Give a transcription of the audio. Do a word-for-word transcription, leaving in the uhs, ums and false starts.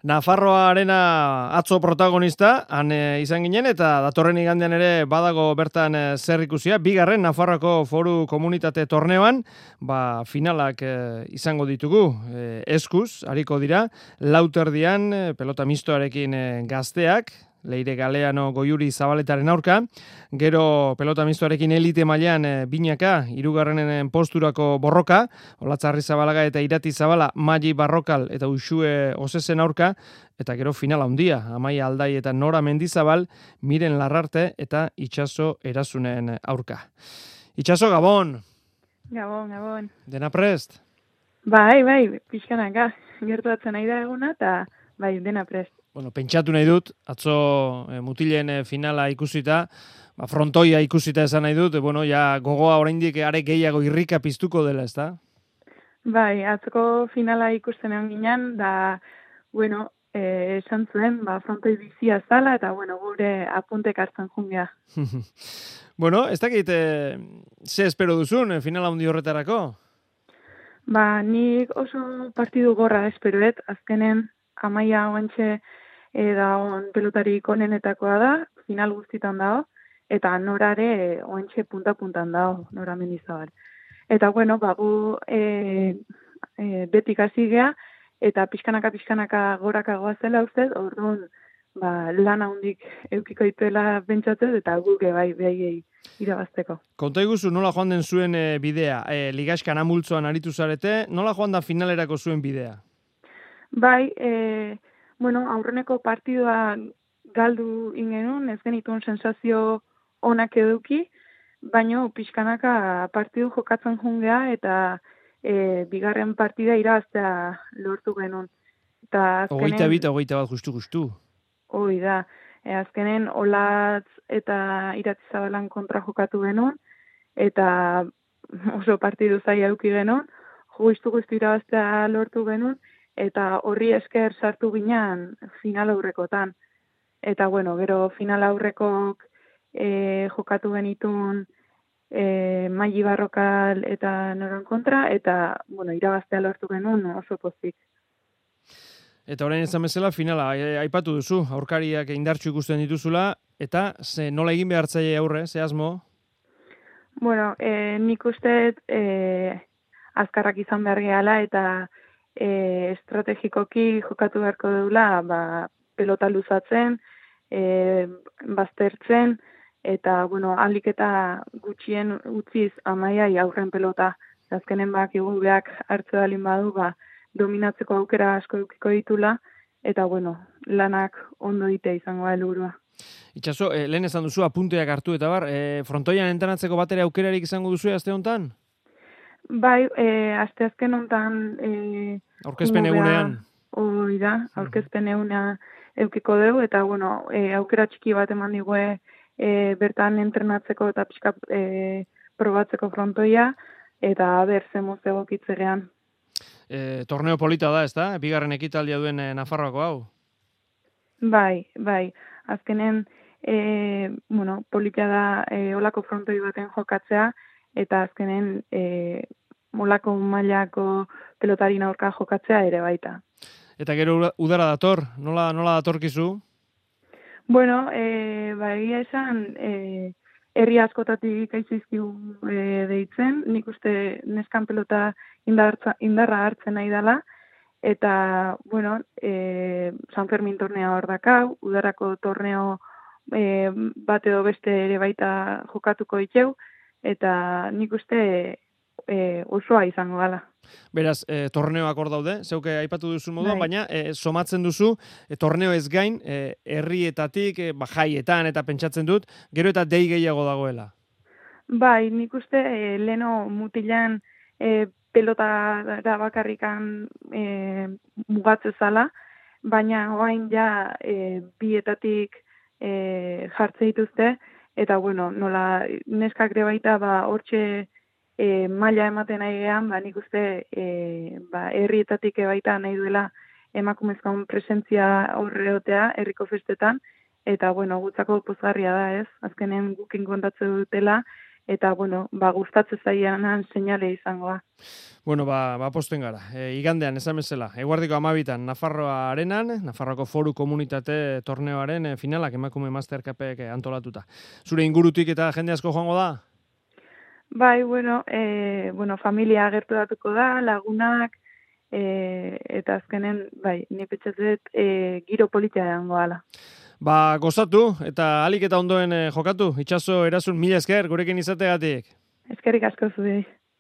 Nafarroarena atzo protagonista, han e, izan ginen, eta datorren igandean ere badago bertan e, zer ikusia. Bigarren Nafarroako Foru Komunitate Torneoan, ba, finalak e, izango ditugu. E, eskuz, hariko dira, lauterdian e, pelota mistoarekin e, gazteak, Leire Galeano Goiuri Zabaletaren aurka, gero pelota mistoarekin elite mailan e, binaka, hirugarrenen posturako borroka, Olatzarri Zabalaga eta Irati Zabala, Magi Barrokal eta Uxue Osesen aurka, eta gero finala handia, Amaia Aldai eta Nora Mendizabal, Miren Larrarte eta Itxaso Erasunen aurka. Itxaso, Gabon! Gabon, Gabon. Dena prest? Bai, bai, pixkanaka, gertuatzen nahi da eguna, eta bai, dena prest. Bueno, pentsatu nahi dut, atzo e, mutilen e, finala ikusita, ba, frontoia ikusita esan nahi dut, e, bueno, ja gogoa oraindik are gehiago irrika piztuko dela, ezta? Bai, atzoko finala ikusten egon ginen, da, bueno, e, esan zuen, ba, frontoi bizia zala, eta, bueno, gure apuntek hartzen jungea. Bueno, ez dakit, e, ze espero duzun, e, finala hundi horretarako? Ba, nik oso partidu gorra esperoet, azkenen, Amaia oantxe e, da on pelotarik onenetakoa da, final guztitan dago, eta norare oantxe punta-puntan dago, Nora Mendizabal. Eta, bueno, bagu e, e, betik hasi gea, eta pixkanaka-pixkanaka goraka goazela ustez, orduan ba, lana hundik eukiko ituela bentsatzez, eta guke bai behaiei irabazteko. Konta iguzu, nola joan den zuen e, bidea? E, Ligaxkan amultzoan aritu zarete, nola joan da finalerako zuen bidea? Bai, e, bueno, aurreneko partidua galdu ingenun, ez genituen sensazio onak eduki, baino pixkanaka partidu jokatzen jungea eta e, bigarren partida irabaztea lortu genuen. Hogeita bita, hogeita bat, justu-justu. Hoi da, e, azkenen Olatz eta Irati Zabalan kontra jokatu genuen, eta oso partidu zaila eduki genuen, justu-justu irabaztea lortu genuen, eta horri esker sartu ginean final aurrekotan. Eta, bueno, gero final aurrekok e, jokatu genitun e, Magi Barrokal eta Noran kontra, eta, bueno, irabaztea lortu genuen oso pozik. Eta orain ezan bezala, finala, aipatu duzu, aurkariak indartsu ikusten dituzula, eta ze nola egin behartzaile aurre, ze asmo? Bueno, e, nik uste e, azkarrak izan behar gehala, eta E, estrategikoki jokatu beharko dugula, ba, pelota luzatzen, e, baztertzen, eta, bueno, alik eta gutxien utziz Amaiai aurren pelota. Azkenen bak igubeak hartze dalin badu, ba, dominatzeko aukera asko edukiko ditula, eta, bueno, lanak ondo dite izango da helburua. Itxaso, eh, lehen esan duzu apunteak hartu eta bar, eh, frontoian entrenatzeko batera aukerarik izango duzu aste honetan? Bai, e, aste azken honetan... E, aurkezpen egunean. Hoi da, aurkezpen eguna eukiko dugu, eta bueno, e, aukera txiki bat eman digue e, bertan entrenatzeko eta pixka e, probatzeko frontoia, eta ber zemuz egokitzerean. E, torneo polita da, ez da? Bigarren ekitaldia duen e, Nafarroako hau? Bai, bai. Azkenen, e, bueno, polita da e, olako frontoi baten jokatzea, eta azkenen e, molako mailako pelotarina aurka jokatzea ere baita. Eta gero udara dator, nola, nola datorkizu? Bueno, e, ba, egia esan, e, herri askotatik aizizkiu e, deitzen, nik uste neskan pelota indarra, indarra hartzen nahi dela, eta, bueno, e, San Fermin torneo hor dakau, udarako torneo e, bat edo beste ere baita jokatuko diteu, eta nik uste e, osoa izango gala. Beraz, e, torneoak hor daude, zeuke aipatu duzu moduan, bai. baina e, somatzen duzu, e, torneo ez gain, e, herrietatik, e, jaietan eta pentsatzen dut, gero eta dei gehiago dagoela. Bai, nik uste e, leno mutilan e, pelota da bakarrikan e, mugatze zala, baina orain ja e, bietatik e, jartze dituzte, eta bueno, nola neskak ere baita ba hortxe e, maila ematen nahi gehan, ba nik uste e, ba herrietatik baita nahi duela emakumezkoen presentzia horreotea herriko festetan, eta bueno, gutzako pozgarria da, ez? Azkenen gukin kontatze dutela eta, bueno, ba, gustatzen zaianan seinale izangoa. Bueno, ba, ba posten gara. E, igandean, esan bezala, eguardiko amabitan, Nafarroa arenan, Nafarroako Foru Komunitate torneoaren e, finalak emakume mastercapek antolatuta. Zure ingurutik eta jende asko joango da? Bai, bueno, e, bueno, familia agertu datuko da, lagunak, e, eta azkenen, bai, ni petxatzet e, giro politia edango ala. Ba, gozatu, eta alik eta ondoen e, jokatu, itxaso erasun mila esker, gurekin izategatik. Eskerrik asko zuei.